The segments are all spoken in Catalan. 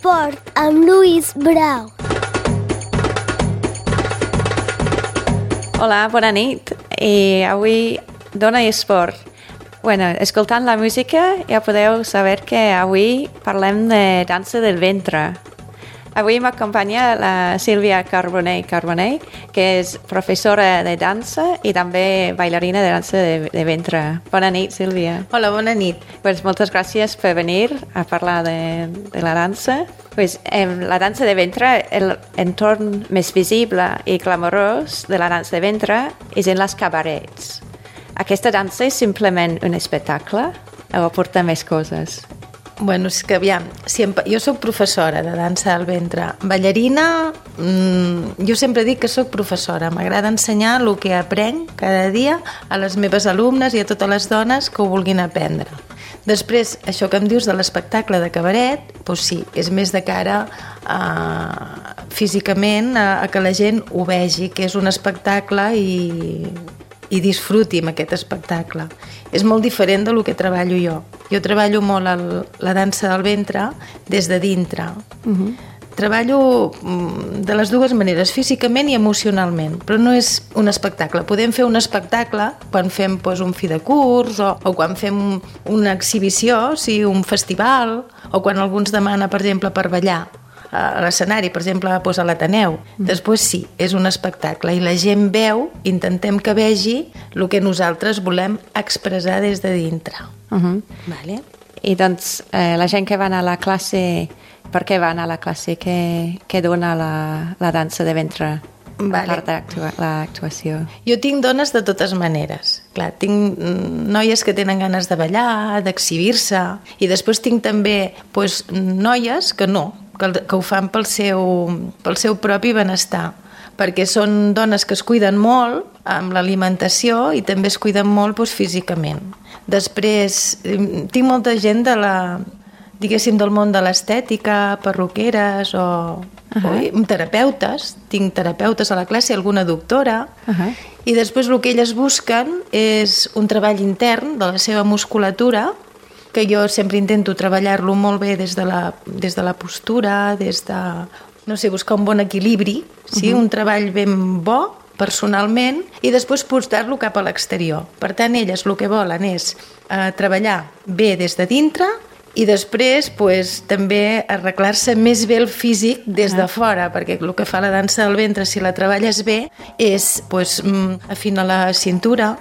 Esport amb Lluís Brau. Hola, bona nit. I avui Dona i Esport. Bueno, escoltant la música ja podeu saber que avui parlem de dansa del ventre. Avui m'acompanya la Sílvia Carbonell, que és professora de dansa i també bailarina de dansa de ventre. Bona nit, Sílvia. Hola, bona nit. Pues moltes gràcies per venir a parlar de la dansa. Pues, la dansa de ventre, l'entorn més visible i glamorós de la dansa de ventre és en les cabarets. Aquesta dansa és simplement un espectacle o porta més coses? Bueno, és que aviam, jo soc professora de dansa del ventre. Ballarina, jo sempre dic que soc professora. M'agrada ensenyar el que aprenc cada dia a les meves alumnes i a totes les dones que ho vulguin aprendre. Després, això que em dius de l'espectacle de cabaret, doncs sí, és més de cara físicament a que la gent ho vegi, que és un espectacle i disfruti amb aquest espectacle. És molt diferent del que treballo jo. Jo treballo molt la dansa del ventre des de dintre. Treballo de les dues maneres, físicament i emocionalment, però no és un espectacle. Podem fer un espectacle quan fem un fi de curs o quan fem una exhibició, un festival, o quan algú ens demana, per exemple, per ballar a l'escenari, per exemple, a l'Ateneu. Després sí, és un espectacle i la gent veu, intentem que vegi el que nosaltres volem expressar des de dintre. Vale? I doncs la gent que va anar a la classe, per què va anar a la classe? Què dona la dansa de ventre? Vale. A part de l'actuació. Jo tinc dones de totes maneres. Clar, tinc noies que tenen ganes de ballar, d'exhibir-se, i després tinc també noies que no, que ho fan pel seu propi benestar, perquè són dones que es cuiden molt amb l'alimentació i també es cuiden molt físicament. Després, tinc molta gent del món de l'estètica, perruqueres o terapeutes. Tinc terapeutes a la classe, alguna doctora, i després el que elles busquen és un treball intern de la seva musculatura, que jo sempre intento treballar-lo molt bé des de la postura, buscar un bon equilibri, un treball ben bo personalment, i després portar-lo cap a l'exterior. Per tant, elles el que volen és treballar bé des de dintre i després també arreglar-se més bé el físic des de fora, perquè el que fa la dansa del ventre, si la treballes bé, és afinar la cintura,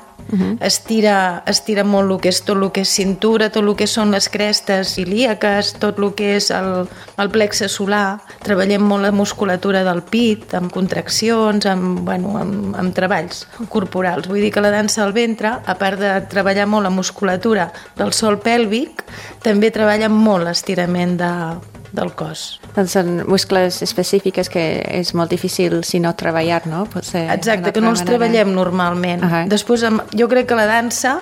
estira molt el que és tot el que és cintura, tot el que són les crestes ilíaques, tot el que és el plexe solar. Treballem molt la musculatura del pit, amb contraccions, amb treballs corporals. Vull dir que la dansa del ventre, a part de treballar molt la musculatura del sòl pèlvic, també treballa molt l'estirament del cos. Doncs són muscles específics que és molt difícil si no treballar, no? Exacte, que no els treballem normalment. Després, jo crec que la dansa,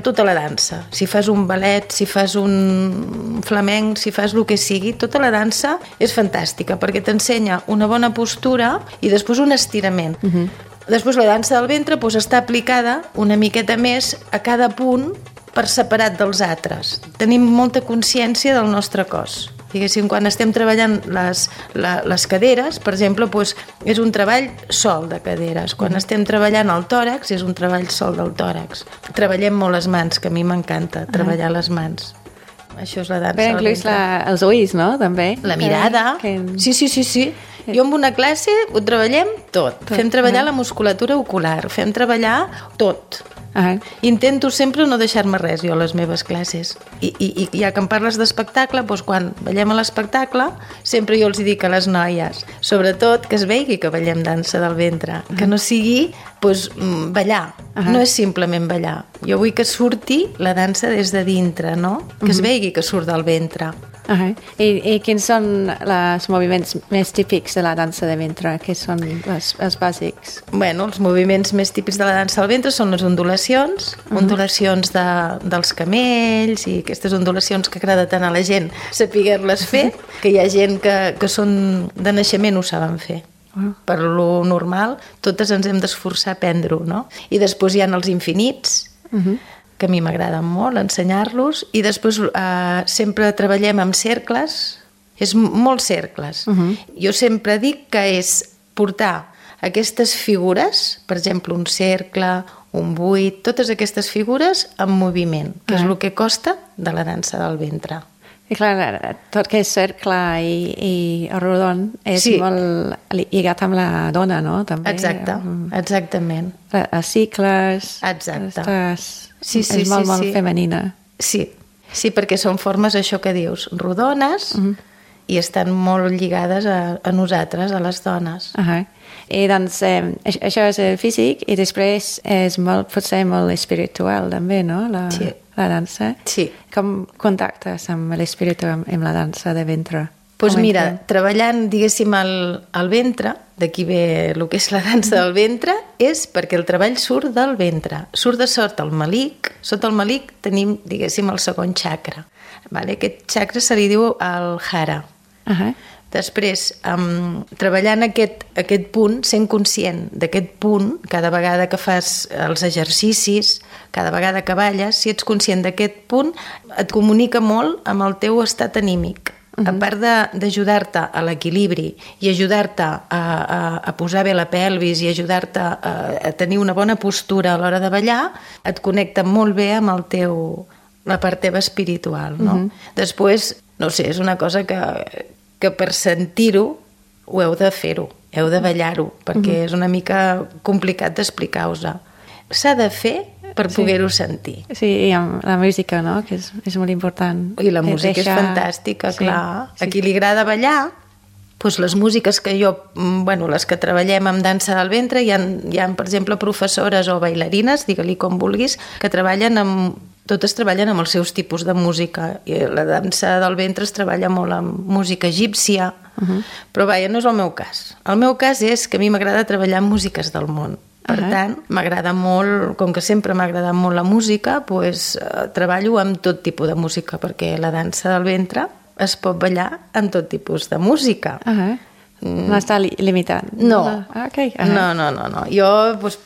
tota la dansa, si fas un ballet, si fas un flamenc, si fas el que sigui, tota la dansa és fantàstica, perquè t'ensenya una bona postura i després un estirament. Després la dansa del ventre està aplicada una miqueta més a cada punt per separat dels altres. Tenim molta consciència del nostre cos. Diguéssim, quan estem treballant les caderes, per exemple, és un treball sol de caderes. Quan estem treballant el tòrax, és un treball sol del tòrax. Treballem molt les mans, que a mi m'encanta treballar les mans. Això és la dansa. Però inclús els ulls, no? També. La mirada. Sí. Jo amb una classe ho treballem tot. Fem treballar la musculatura ocular, fem treballar tot. Intento sempre no deixar-me res jo a les meves classes i ja que em parles d'espectacle, quan ballem a l'espectacle sempre jo els dic a les noies, sobretot que es vegi que ballem dansa del ventre, que no sigui ballar, no és simplement ballar, jo vull que surti la dansa des de dintre, no? Que es vegi que surt del ventre. I quins són els moviments més típics de la dansa de ventre? Què són els bàsics? Bueno, els moviments més típics de la dansa del ventre són les ondulacions, ondulacions dels camells i aquestes ondulacions que agrada tant a la gent saber-les fer, que hi ha gent que són de naixement ho saben fer. Per lo normal, totes ens hem d'esforçar a aprendre-ho, no? I després hi ha els infinits, que a mi m'agrada molt ensenyar-los, i després sempre treballem amb cercles, És molts cercles. Jo sempre dic que és portar aquestes figures, per exemple, un cercle, un buit, totes aquestes figures en moviment, que és el que costa de la dansa del ventre. I clar, tot que és cercle i rodon és molt lligat amb la dona, no? També. Exacte, exactament. Els cicles... Exacte. És molt femenina. Sí, perquè són formes, això que dius, rodones i estan molt lligades a nosaltres, a les dones. I doncs això és el físic i després és potser molt espiritual també, no? La dansa. Sí. Com contactes amb l'espíritu amb la dansa de ventre? Doncs mira, treballant, diguéssim, el ventre, d'aquí ve el que és la dansa del ventre, és perquè el treball surt del ventre, surt de sota el malic. Sota el malic tenim, diguéssim, el segon chakra. Aquest chakra se li diu el hara. Després, treballant aquest punt, sent conscient d'aquest punt, cada vegada que fas els exercicis, cada vegada que balles, si ets conscient d'aquest punt, et comunica molt amb el teu estat anímic. A part d'ajudar-te a l'equilibri i ajudar-te a posar bé la pelvis i ajudar-te a tenir una bona postura a l'hora de ballar, et connecta molt bé amb la part teva espiritual, no? Després, no sé, és una cosa que per sentir-ho ho heu de fer-ho, heu de ballar-ho, perquè és una mica complicat d'explicar-vos. S'ha de fer per poder-ho sentir. Sí, i amb la música, no?, que és molt important. I la música és fantàstica, clar. A qui li agrada ballar, doncs les músiques que les que treballem amb dansa del ventre, hi ha, per exemple, professores o bailarines, digue-li com vulguis, que totes treballen amb els seus tipus de música. I la dansa del ventre es treballa molt amb música egípcia, però vaja, no és el meu cas. El meu cas és que a mi m'agrada treballar amb músiques del món. Per tant, m'agrada molt, com que sempre m'ha agradat molt la música, treballo amb tot tipus de música, perquè la dansa del ventre es pot ballar amb tot tipus de música. No està limitat. No. No. Jo,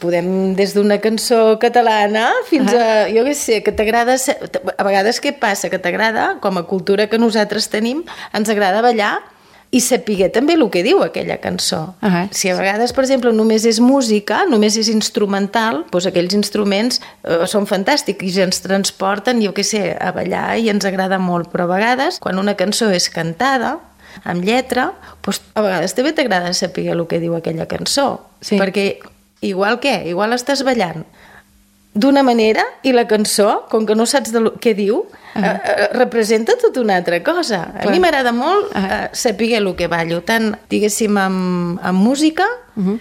podem des d'una cançó catalana fins a, jo què sé, que t'agrada... A vegades què passa? Que t'agrada, com a cultura que nosaltres tenim, ens agrada ballar i saber també el que diu aquella cançó. Si a vegades, per exemple, només és música, només és instrumental, doncs aquells instruments són fantàstics i ens transporten, jo què sé, a ballar i ens agrada molt. Però a vegades, quan una cançó és cantada, amb lletra, doncs a vegades també t'agrada saber el que diu aquella cançó. Perquè igual estàs ballant d'una manera i la cançó, com que no saps què diu, representa tota una altra cosa. A mi m'agrada molt saber el que ballo, tant, diguéssim, amb música,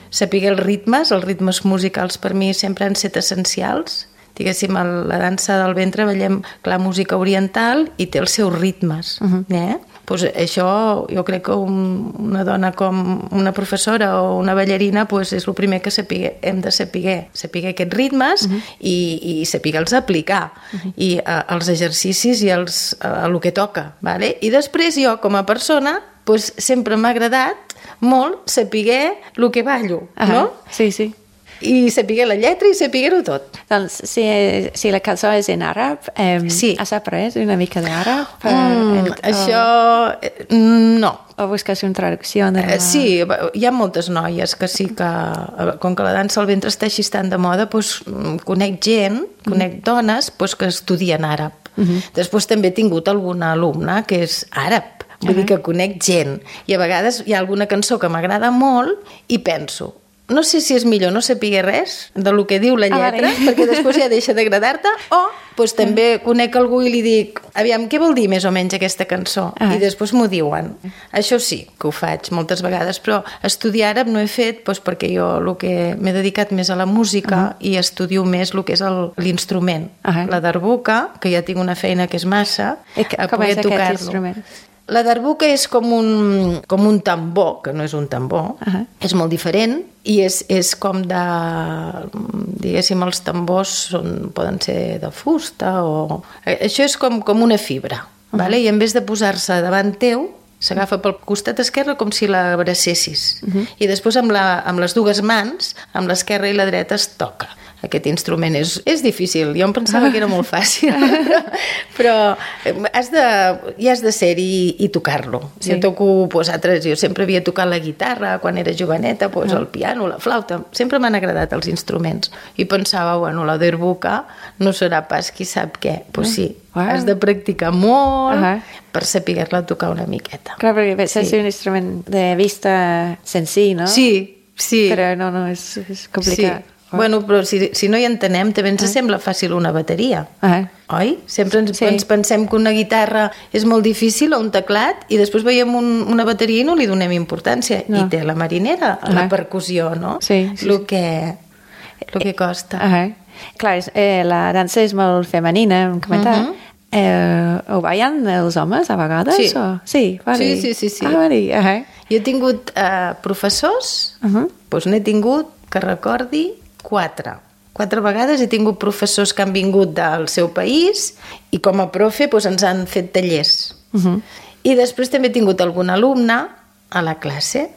saber els ritmes musicals per mi sempre han estat essencials. Diguéssim, a la dansa del ventre ballem, clar, música oriental i té els seus ritmes. Pues això, jo crec que una dona com una professora o una ballarina és el primer que hem de saber aquests ritmes i saber-los aplicar i els exercicis i el que toca. I després jo, com a persona, sempre m'ha agradat molt saber el que ballo, no? Sí. I saber la lletra i saber-ho tot. Doncs si la cançó és en àrab, has après una mica d'àrab? Això no. O busques una traducció? Sí, hi ha moltes noies que sí que, com que la dansa al ventre està així tan de moda, conec dones que estudien àrab. Després també he tingut alguna alumna que és àrab, vull dir que conec gent. I a vegades hi ha alguna cançó que m'agrada molt i penso, no sé si és millor no saber res del que diu la lletra, perquè després ja deixa d'agradar-te, o també conec algú i li dic, aviam, què vol dir més o menys aquesta cançó? I després m'ho diuen. Això sí, que ho faig moltes vegades, però estudiar àrab no he fet perquè jo m'he dedicat més a la música i estudio més el que és l'instrument. La darbuka, que ja tinc una feina que és massa, a poder tocar-lo. Com és aquest instrument? La darbuka és com un tambor, que no és un tambor, és molt diferent i és com de, diguéssim, els tambors poden ser de fusta o... Això és com una fibra, i en vez de posar-se davant teu, s'agafa pel costat esquerre com si l'abracessis i després amb les dues mans, amb l'esquerra i la dreta es toca. aquest instrument és difícil. Jo em pensava que era molt fàcil, però hi has de ser-hi i tocar-lo. Jo toco, jo sempre havia tocat la guitarra quan era joveneta, el piano, la flauta, sempre m'han agradat els instruments. I pensava, bueno, la derbuca no serà pas qui sap què. Doncs sí, has de practicar molt per saber-la tocar una miqueta. Clar, perquè és un instrument de vista senzill, no? Sí. Però no, és complicat. Sí. Bueno, però si no hi entenem, també ens sembla fàcil una bateria. Oi? Sempre ens pensem que una guitarra és molt difícil o un teclat i després veiem una bateria i no li donem importància. I té la marinera, la percussió, no? Sí. El que costa. Clar, la dansa és molt femenina, hem comentat. Ho ballen els homes a vegades? Sí. Sí. Jo he tingut professors, doncs n'he tingut, que recordi, 4 vegades. He tingut professors que han vingut del seu país i com a profe ens han fet tallers. I després també he tingut algun alumne a la classe.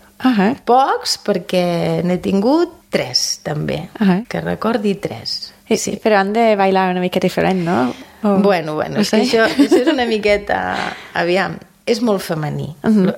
Pocs, perquè n'he tingut 3 també, que recordi 3. Sí. Però han de bailar una mica diferent, no? Bueno, és que això és una miqueta... Aviam, és molt femení.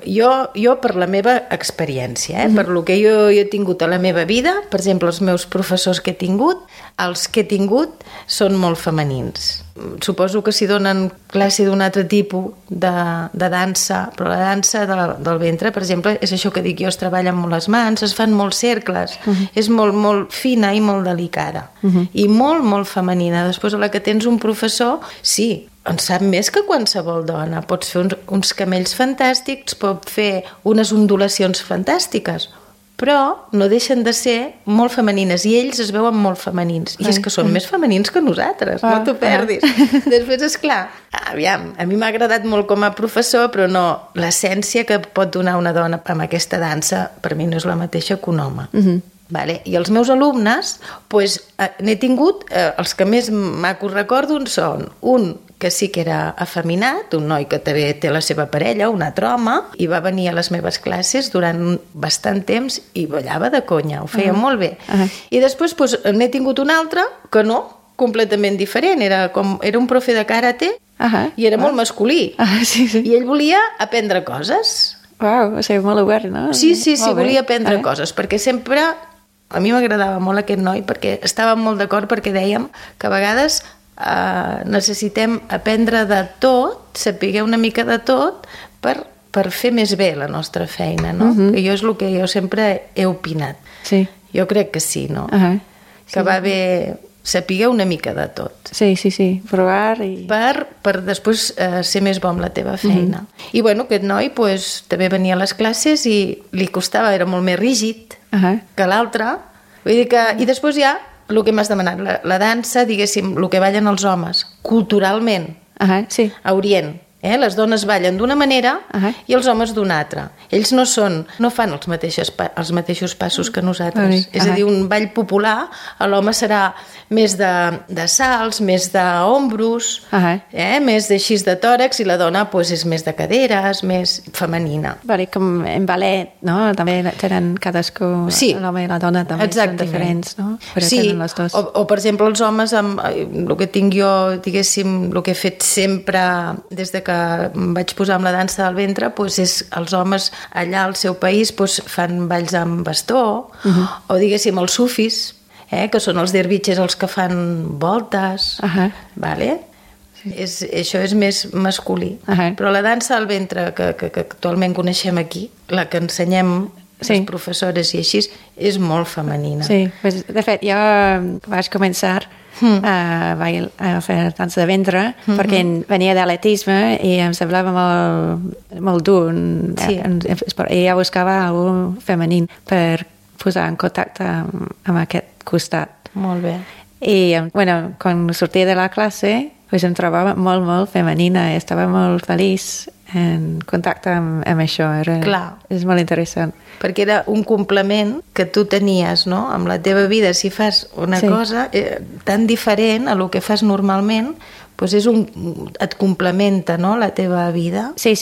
Jo per la meva experiència, per lo que jo he tingut a la meva vida, per exemple, els meus professors que he tingut, els que he tingut són molt femenins. Suposo que si donen classe d'un altre tipus de dansa, però la dansa del ventre, per exemple, és això que dic jo, es treballen molt les mans, es fan molts cercles, és molt, molt fina i molt delicada, i molt, molt femenina. Després, a la que tens un professor, sí, en sap més que qualsevol dona. Pots fer uns camells fantàstics, pot fer unes ondulacions fantàstiques, però no deixen de ser molt femenines i ells es veuen molt femenins i és que són més femenins que nosaltres, no t'ho perdis. Després, esclar, aviam, a mi m'ha agradat molt com a professor, però no, l'essència que pot donar una dona amb aquesta dansa per mi no és la mateixa que un home. Vale? I els meus alumnes, n'he tingut, els que més macos recordo són un que sí que era afeminat, un noi que també té la seva parella, un altre home, i va venir a les meves classes durant bastant temps i ballava de conya, ho feia molt bé. I després n'he tingut un altre que no, completament diferent, era un profe de karate i era molt masculí. I ell volia aprendre coses. Uau, o sigui, molt obert, no? Sí, volia aprendre coses, perquè sempre... A mi m'agradava molt aquest noi perquè estàvem molt d'acord perquè dèiem que a vegades necessitem aprendre de tot, saber una mica de tot per fer més bé la nostra feina, no? Que jo és el que jo sempre he opinat. Jo crec que sí, no? Que va bé saber una mica de tot. Sí, provar i... Per després ser més bo amb la teva feina. I bueno, aquest noi també venia a les classes i li costava, era molt més rígid que l'altre. Vull dir que... I després ja, el que m'has demanat, la dansa, diguéssim, el que ballen els homes, culturalment, a Orient. Les dones ballen d'una manera i els homes d'una altra. Ells no fan els mateixos passos que nosaltres. És a dir, un ball popular, l'home serà més de salts, més d'ombros, més d'així de tòrax, i la dona és més de caderes, més femenina. Com en ballet, no? També tenen cadascú, l'home i la dona també són diferents, no? Sí, o per exemple els homes, el que tinc jo, diguéssim, el que he fet sempre des de que em vaig posar amb la dansa del ventre, és els homes allà al seu país fan balls amb bastó, o diguéssim els sufis, que són els dervitxes els que fan voltes, vale? Això és més masculí. Però la dansa del ventre que actualment coneixem aquí, la que ensenyem les professores i així, és molt femenina. Sí, de fet, jo vaig començar a fer dansa de ventre perquè venia d'atletisme i em semblava molt dur i ja buscava algú femení per posar en contacte amb aquest costat. Molt bé. I quan sortia de la classe em trobava molt, molt femenina i estava molt feliç en contacte amb això. És molt interessant. Perquè era un complement que tu tenies, no? Amb la teva vida, si fas una cosa tan diferent a lo que fas normalment, et complementa, no?, la teva vida. Sí,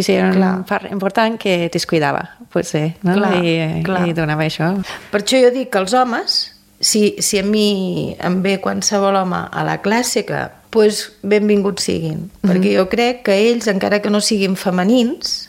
era una part important que descuidava, potser, no? I donava això. Per això jo dic que els homes si a mi em ve qualsevol home a la clàssica, doncs benvinguts siguin. Perquè jo crec que ells, encara que no siguin femenins,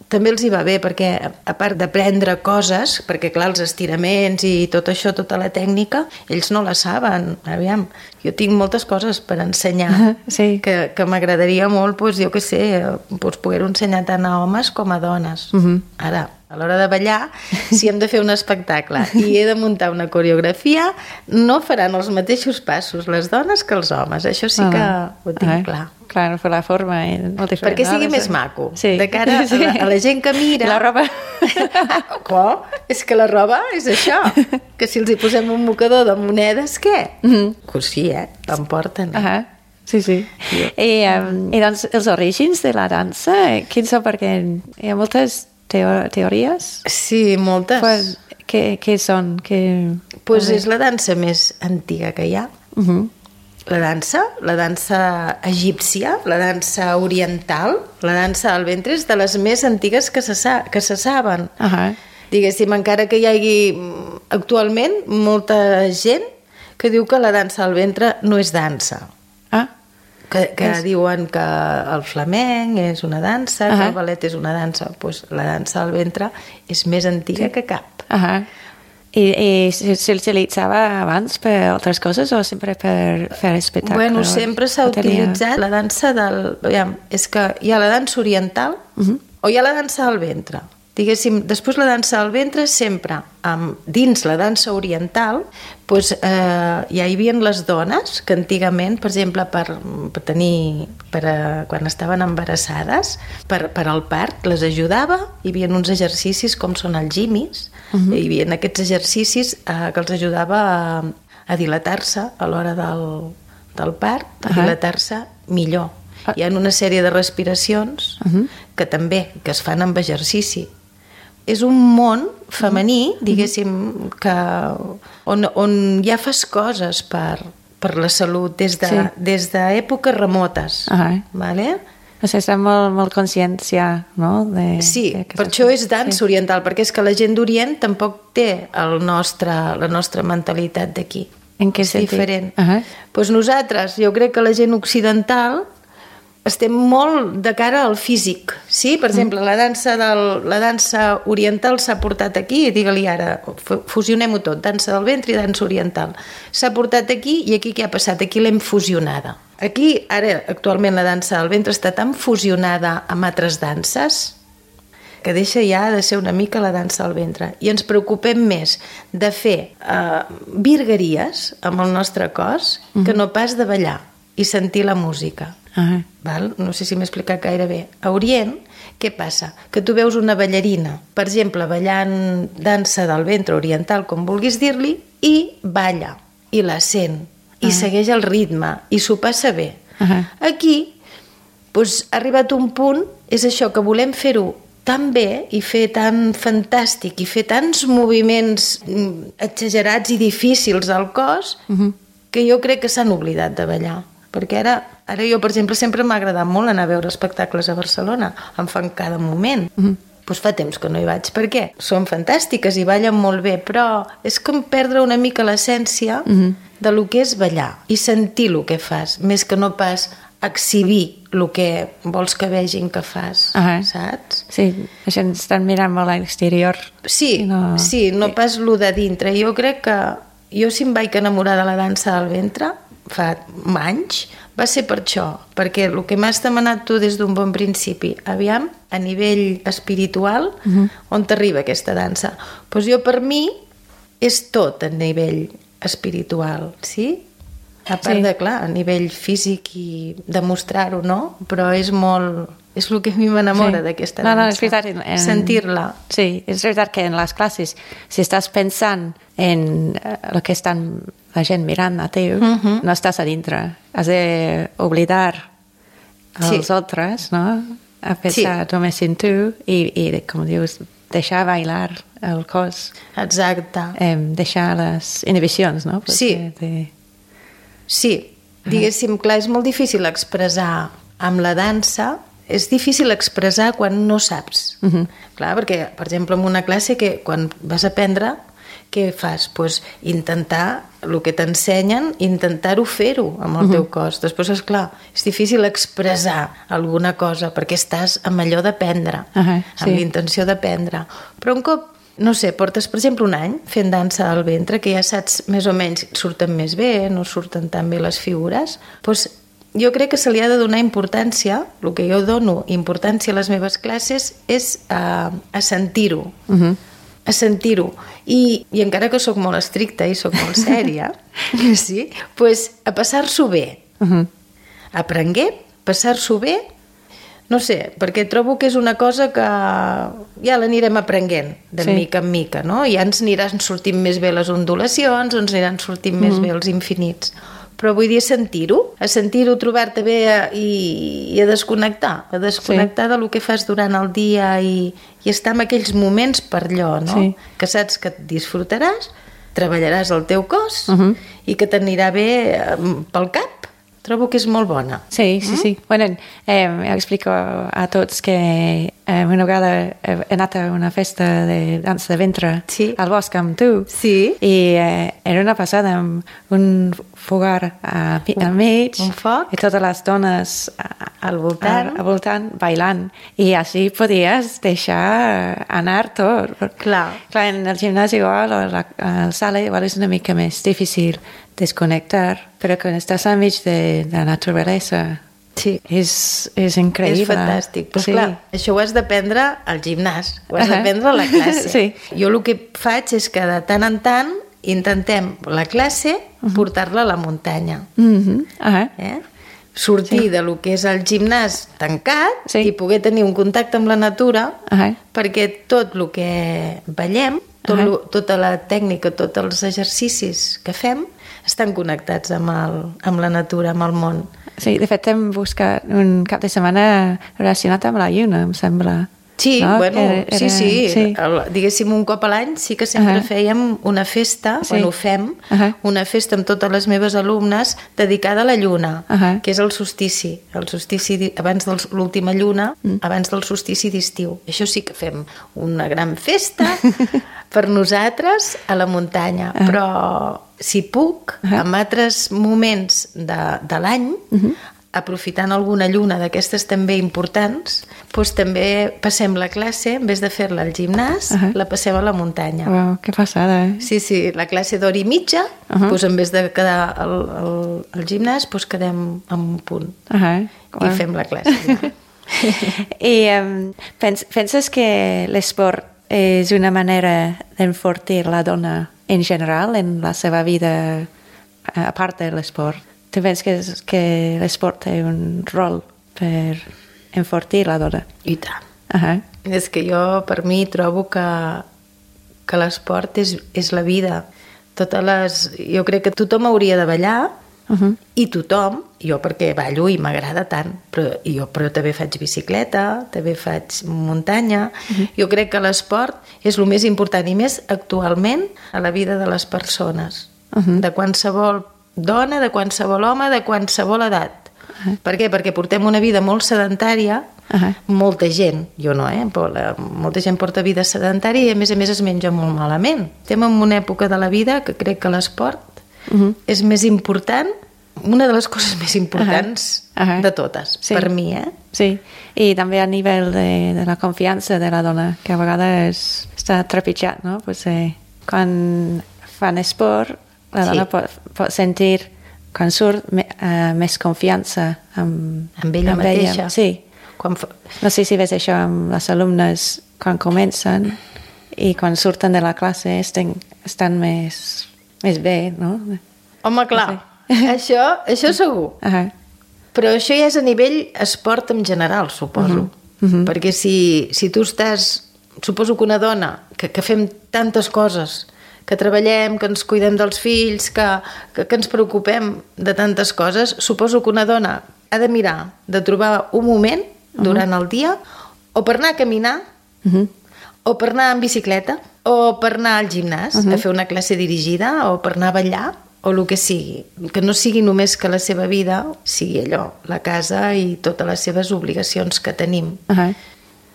també els hi va bé, perquè a part d'aprendre coses, perquè clar, els estiraments i tot això, tota la tècnica, ells no la saben. Aviam, jo tinc moltes coses per ensenyar que m'agradaria molt, doncs, jo què sé, doncs, poder-ho ensenyar tant a homes com a dones. Ara, a l'hora de ballar, si hem de fer un espectacle i he de muntar una coreografia, no faran els mateixos passos les dones que els homes. Això sí que ho tinc clar. Clar, no fer la forma molt diferent. Perquè sigui més maco. De cara a la gent que mira... La roba... És que la roba és això. Que si els hi posem un mocador de monedes, què? Pues sí, l'emporten. Sí. I doncs els orígens de la dansa, quins són? Perquè hi ha moltes teories. Sí, moltes. Què són? Doncs és la dansa més antiga que hi ha. La dansa egípcia, la dansa oriental, la dansa del ventre és de les més antigues que se saben. Diguéssim, encara que hi hagi actualment molta gent que diu que la dansa del ventre no és dansa. Que diuen que el flamenc és una dansa, que el ballet és una dansa. Doncs la dansa del ventre és més antiga que cap. I s'utilitzava abans per altres coses o sempre per fer espectacles? Bueno, sempre s'ha utilitzat la dansa del... És que hi ha la dansa oriental o hi ha la dansa del ventre. Diguéssim, després la dansa del ventre sempre, dins la dansa oriental, doncs, ja hi havia les dones que antigament, per exemple, quan estaven embarassades, per al part, les ajudava, hi havia uns exercicis com són els gimis, hi havia aquests exercicis que els ajudava a dilatar-se a l'hora del part, a dilatar-se millor. Hi ha una sèrie de respiracions que també, que es fan amb exercici. És un món femení, diguéssim, on ja fas coses per la salut des d'èpoques remotes. Vale? O sigui, està molt consciència, no? Sí, per això és dansa oriental, perquè és que la gent d'Orient tampoc té la nostra mentalitat d'aquí. En què sentit? És diferent. Doncs nosaltres, jo crec que la gent occidental estem molt de cara al físic, sí? Per exemple, la dansa oriental s'ha portat aquí, digue-li ara, fusionem-ho tot, dansa del ventre i dansa oriental. S'ha portat aquí i aquí què ha passat? Aquí l'hem fusionada. Aquí, ara, actualment, la dansa del ventre està tan fusionada amb altres danses que deixa ja de ser una mica la dansa del ventre. I ens preocupem més de fer virgueries amb el nostre cos que no pas de ballar i sentir la música. Val? No sé si m'he explicat gaire bé. A Orient, què passa? Que tu veus una ballarina, per exemple, ballant dansa del ventre oriental, com vulguis dir-li, i balla, i la sent, i segueix el ritme, i s'ho passa bé. Aquí, doncs, ha arribat un punt, és això, que volem fer-ho tan bé i fer tan fantàstic i fer tants moviments exagerats i difícils al cos que jo crec que s'han oblidat de ballar. Perquè ara jo, per exemple, sempre m'ha agradat molt anar a veure espectacles a Barcelona. Em fan cada moment. Doncs fa temps que no hi vaig. Per què? Són fantàstiques i ballen molt bé, però és com perdre una mica l'essència de lo que és ballar i sentir el que fas, més que no pas exhibir el que vols que vegin que fas, saps? Sí, la gent estan mirant molt a l'exterior. Sí, no pas lo de dintre. Jo crec que jo si em vaig enamorar de la dansa del ventre fa anys, va ser per això, perquè el que m'has demanat tu des d'un bon principi, aviam, a nivell espiritual, on t'arriba aquesta dansa? Doncs jo, per mi, és tot a nivell espiritual, sí? A part de, clar, a nivell físic i demostrar-ho, no? Però és molt... És el que a mi m'enamora d'aquesta dansa. No, és veritat. Sentir-la. Sí, és veritat que en les classes, si estàs pensant en el que estan la gent mirant a tu, no estàs a dintre. Has d'oblidar els altres, no? A pensar només en tu i, com dius, deixar bailar el cos. Exacte. Deixar les inhibicions, no? Sí, diguéssim, clar, és molt difícil expressar amb la dansa, és difícil expressar quan no saps. Clar, perquè, per exemple, en una classe que quan vas a aprendre, què fas? Pues intentar el que t'ensenyen, intentar-ho fer-ho amb el teu cos. Després, esclar, és difícil expressar alguna cosa perquè estàs amb allò d'aprendre, amb l'intenció d'aprendre. Però un cop, no sé, portes, per exemple, un any fent dansa al ventre, que ja saps més o menys surten més bé, no surten tan bé les figures, doncs jo crec que se li ha de donar importància, el que jo dono importància a les meves classes és a sentir-ho. A sentir-ho. I encara que sóc molt estricta i sóc molt sèria, sí, pues, a passar-s'ho bé. Aprenguer, passar-s'ho bé, no sé, perquè trobo que és una cosa que ja l'anirem aprenent de mica en mica, no? Ja ens aniran sortint més bé les ondulacions, ens aniran sortint més bé els infinits. Però vull dir, a sentir-ho, trobar-te bé i a desconnectar del que fas durant el dia i estar en aquells moments per allò, no? Sí. Que saps que et disfrutaràs, treballaràs el teu cos i que t'anirà bé pel cap. Trobo que és molt bona. Sí. Bueno, explico a tots que una vegada he anat a una festa de dansa de ventre al bosc amb tu. Sí. I era una passada amb un fogar al mig. Un foc. I totes les dones al voltant bailant. I així podies deixar anar tot. Clar, en el gimnàs igual, o a la sala igual és una mica més difícil desconnectar, però quan estàs al mig de la naturalesa és increïble. És fantàstic. Però clar, això ho has d'aprendre al gimnàs, ho has d'aprendre a la classe. Jo el que faig és que de tant en tant intentem la classe portar-la a la muntanya. Sortir de lo que és el gimnàs tancat i poder tenir un contacte amb la natura, perquè tot el que veiem, tota la tècnica, tots els exercicis que fem estan connectats amb la natura, amb el món. Sí, de fet hem buscat un cap de setmana relacionat amb la lluna, em sembla. Sí, no? Sí. Diguéssim, un cop a l'any sí que sempre fèiem una festa, bueno, fem una festa amb totes les meves alumnes dedicada a la lluna, que és el solstici abans de l'última lluna, abans del solstici d'estiu. Això sí que fem una gran festa per nosaltres a la muntanya, però si puc, en altres moments de l'any, aprofitant alguna lluna d'aquestes també importants, doncs també passem la classe, en vez de fer-la al gimnàs, la passem a la muntanya. Uau, que passada, Sí, la classe d'hora i mitja, doncs en vez de quedar al gimnàs, doncs quedem en un punt i fem la classe. I penses que l'esport és una manera d'enfortir la dona en general en la seva vida, a part de l'esport? Tu penses que l'esport té un rol per enfortir la dona? I tant. És que jo, per mi, trobo que l'esport és la vida. Jo crec que tothom hauria de ballar i tothom, jo perquè ballo i m'agrada tant, però també faig bicicleta, també faig muntanya. Jo crec que l'esport és el més important i més actualment a la vida de les persones, de qualsevol dona, de qualsevol home, de qualsevol edat. Per què? Perquè portem una vida molt sedentària, molta gent, jo no, molta gent porta vida sedentària i a més es menja molt malament. Estem en una època de la vida que crec que l'esport és més important, una de les coses més importants de totes, per mi, Sí, i també a nivell de la confiança de la dona, que a vegades està trepitjat, no? Quan fan esport, la dona pot sentir, quan surt, més confiança amb ella mateixa. Sí. No sé si ves això amb les alumnes quan comencen i quan surten de la classe estan més bé, no? Home, clar, això segur. Però això ja és a nivell esport en general, suposo. Perquè si tu estàs... Suposo que una dona que fem tantes coses, que treballem, que ens cuidem dels fills, que ens preocupem de tantes coses, suposo que una dona ha de mirar, de trobar un moment durant el dia, o per anar a caminar, o per anar en bicicleta, o per anar al gimnàs, a fer una classe dirigida, o per anar a ballar, o el que sigui. Que no sigui només que la seva vida sigui allò, la casa i totes les seves obligacions que tenim.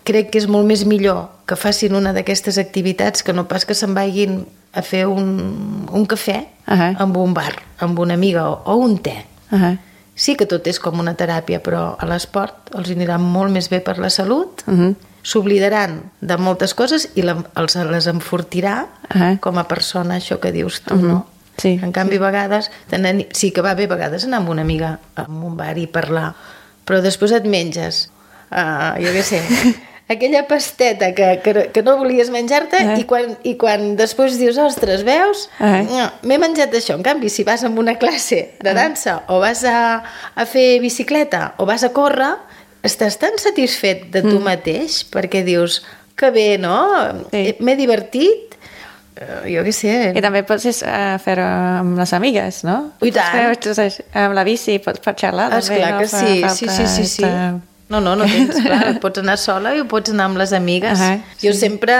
crec que és molt més millor que facin una d'aquestes activitats que no pas que se'n vagin a fer un cafè amb un bar, amb una amiga o un te. Sí que tot és com una teràpia, però a l'esport els anirà molt més bé per la salut, s'oblidaran de moltes coses i les enfortirà com a persona, això que dius tu, no? Sí, en canvi, a vegades, sí que va bé a vegades anar amb una amiga a un bar i parlar, però després et menges, jo què sé, aquella pasteta que no volies menjar-te i quan després dius, ostres, veus? M'he menjat això. En canvi, si vas a una classe de dansa o vas a fer bicicleta o vas a córrer, estàs tan satisfet de tu mateix perquè dius, que bé, no? M'he divertit, jo què sé. I també pots fer-ho amb les amigues, no? I tant. Amb la bici pots xerrar. Esclar que sí. No tens, clar, pots anar sola i pots anar amb les amigues. Jo sempre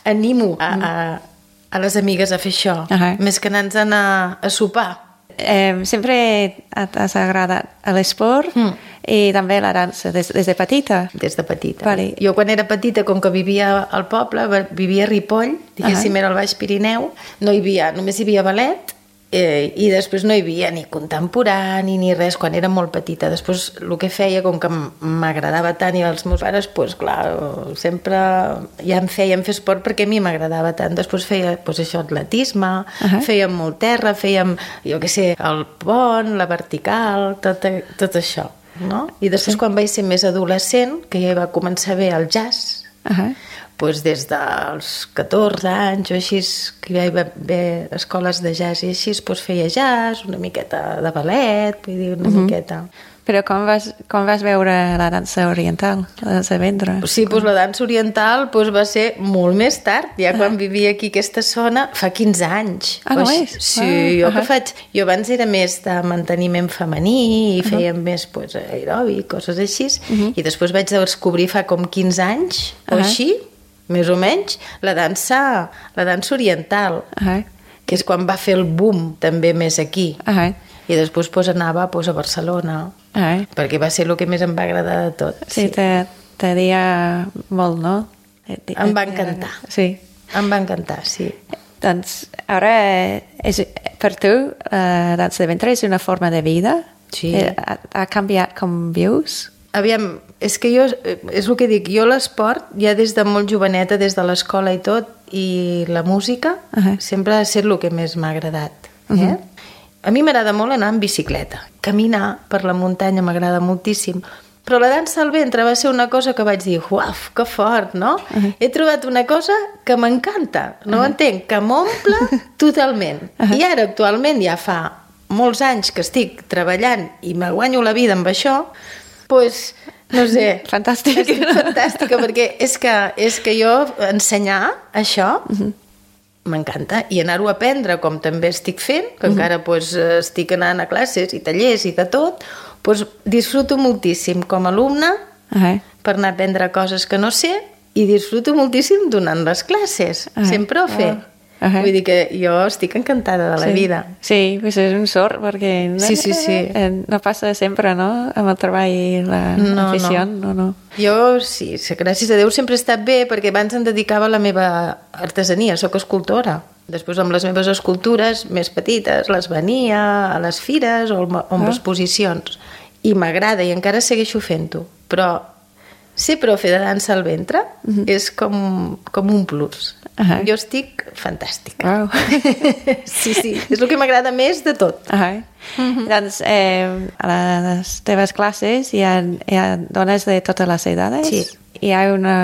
animo a les amigues a fer això, més que anar a sopar. Sempre t'has agradat l'esport i també la dansa des de petita? Des de petita. Vale. Jo quan era petita, com que vivia al poble, vivia a Ripoll, diguéssim era al Baix Pirineu, només hi havia ballet, i després no hi havia ni contemporani ni res quan era molt petita. Després el que feia, com que m'agradava tant i els meus pares, doncs clar, sempre ja em feien fer esport perquè a mi m'agradava tant. Després feia això, atletisme, fèiem molt terra, fèiem, jo què sé, el pont, la vertical, tot això, no? I després quan vaig ser més adolescent, que ja va començar bé el jazz, doncs des dels 14 anys o així, que hi va haver escoles de jazz i així, doncs feia jazz, una miqueta de ballet, vull dir, una miqueta. Però com vas veure la dansa oriental, la dansa de ventre? Sí, doncs la dansa oriental va ser molt més tard, ja quan vivia aquí aquesta zona, fa 15 anys. No és? Sí, jo abans era més de manteniment femení i fèiem més aeròbic, coses així, i després vaig descobrir fa com 15 anys o així, més o menys, la dansa oriental, que és quan va fer el boom també més aquí. I després anava a Barcelona, perquè va ser el que més em va agradar de tot. Sí, t'adia molt, no? Em va encantar. Sí. Em va encantar, sí. Doncs ara, per tu, la dansa de ventre és una forma de vida? Sí. Ha canviat com vius? Aviam, és que jo, és el que dic, jo l'esport, ja des de molt joveneta, des de l'escola i tot, i la música, sempre ha estat el que més m'ha agradat. A mi m'agrada molt anar en bicicleta. Caminar per la muntanya m'agrada moltíssim. Però la dansa al ventre va ser una cosa que vaig dir, uaf, que fort, no? He trobat una cosa que m'encanta, no entenc, que m'omple totalment. I ara, actualment, ja fa molts anys que estic treballant i me guanyo la vida amb això, doncs, no sé... Fantàstic. Estic fantàstica, perquè és que jo ensenyar això m'encanta, i anar-ho a aprendre com també estic fent, que encara estic anant a classes i tallers i de tot, disfruto moltíssim com a alumne per anar a aprendre coses que no sé, i disfruto moltíssim donant les classes, sem profe. Vull dir que jo estic encantada de la vida. Sí, és un sort, perquè no passa sempre, no?, amb el treball i l'afició. No. Jo, sí, gràcies a Déu sempre he estat bé, perquè abans em dedicava a la meva artesania, soc escultora. Després, amb les meves escultures més petites, les venia a les fires o amb exposicions. I m'agrada, i encara segueixo fent-ho. Però ser profe de dansa al ventre és com un plus. Jo estic fantàstica. Sí, és el que m'agrada més de tot. Doncs a les teves classes hi ha dones de totes les edades? Sí. Hi ha alguna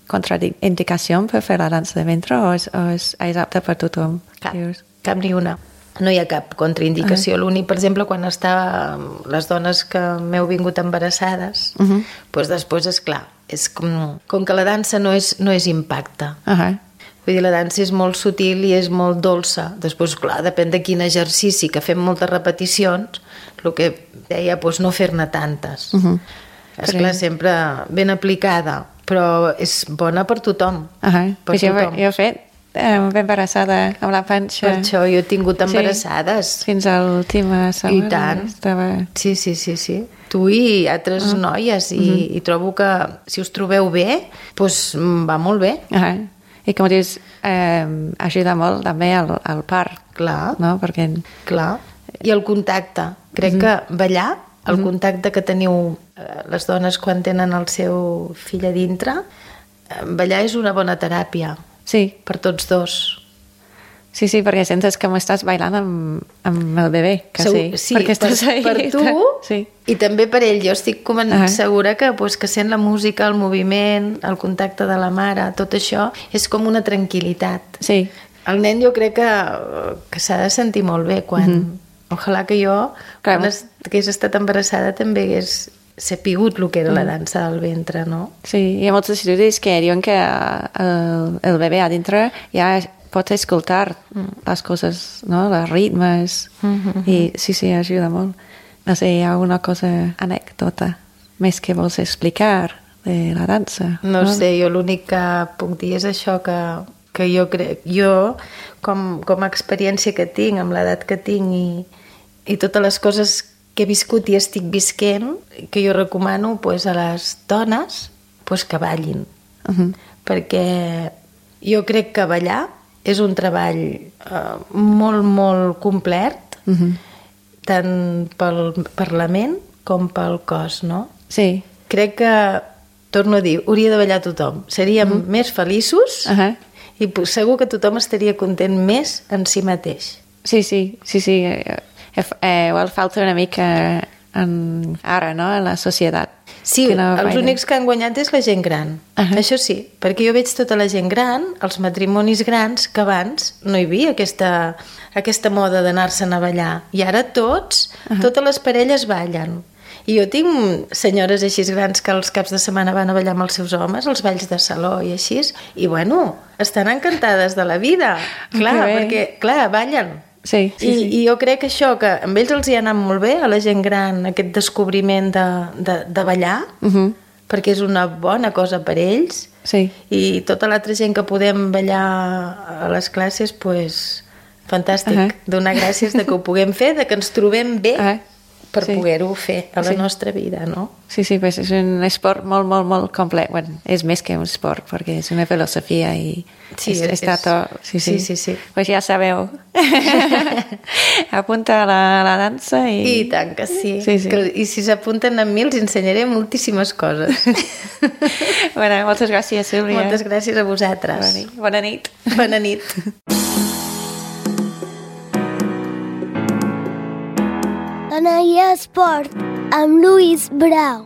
contraindicació per fer la dansa de ventre o és apte per tothom? Cap ni una. No hi ha cap contraindicació. L'únic, per exemple, quan les dones que m'heu vingut embarassades, doncs després, esclar, és com que la dansa no és impacte. Vull dir, la dansa és molt sutil i és molt dolça. Després, clar, depèn de quin exercici, que fem moltes repeticions, el que deia, no fer-ne tantes. Esclar, sempre ben aplicada, però és bona per tothom. Jo he fet embarassada amb la panxa. Per això jo he tingut embarassades. Fins a l'última setmana. I tant. Sí. tu i altres noies, i trobo que si us trobeu bé, doncs va molt bé. I com dius, ajuda molt també al part. Clar. No? Perquè... Clar. I el contacte. Crec que ballar, el contacte que teniu les dones quan tenen el seu fill a dintre, ballar és una bona teràpia. Sí. Per tots dos. Sí, perquè sentes que m'estàs bailant amb el bebè, quasi. Sí, perquè estàs per tu i també per ell. Jo estic segura que sent la música, el moviment, el contacte de la mare, tot això és com una tranquil·litat. Sí. El nen jo crec que s'ha de sentir molt bé quan... Ojalà que jo, quan hagués estat embarassada, també hagués sapigut el que era la dansa del ventre, no? Sí, hi ha molts estudis que diuen que el bebè a dintre ja pot escoltar les coses, no? Els ritmes, i sí, ajuda molt. No sé, hi ha alguna cosa, anècdota, més que vols explicar de la dansa? No sé, jo l'únic que puc dir és això que jo crec, com a experiència que tinc, amb l'edat que tinc i totes les coses que he viscut i estic visquent, que jo recomano a les dones que ballin. Perquè jo crec que ballar és un treball molt, molt complet, tant per la ment com pel cos, no? Sí. Crec que, torno a dir, hauria de ballar tothom. Seríem més feliços i segur que tothom estaria content més en si mateix. Sí. Igual falta una mica ara, no?, en la societat. Sí, els únics que han guanyat és la gent gran. Això sí, perquè jo veig tota la gent gran, els matrimonis grans, que abans no hi havia aquesta moda d'anar-se'n a ballar. I ara totes les parelles ballen. I jo tinc senyores així grans que els caps de setmana van a ballar amb els seus homes, els balls de saló i així, i bueno, estan encantades de la vida. Clar, perquè, clar, ballen. Sí. I jo crec que això, que amb ells els hi ha anat molt bé, a la gent gran, aquest descobriment de ballar, perquè és una bona cosa per ells, i tota l'altra gent que podem ballar a les classes, doncs, fantàstic. Donar gràcies de que ho puguem fer, de que ens trobem bé per poder-ho fer a la nostra vida, no? Sí, pues és un esport molt, molt, molt complet. Bueno, és més que un esport, perquè és una filosofia i està tot... Sí. Pues ja sabeu. Apunta a la dansa i... I tant que sí. I si s'apunten amb mi els ensenyaré moltíssimes coses. Bueno, moltes gràcies, Sílvia. Moltes gràcies a vosaltres. Bona nit. Bona nit. Dona i Esport, amb Lluís Brau.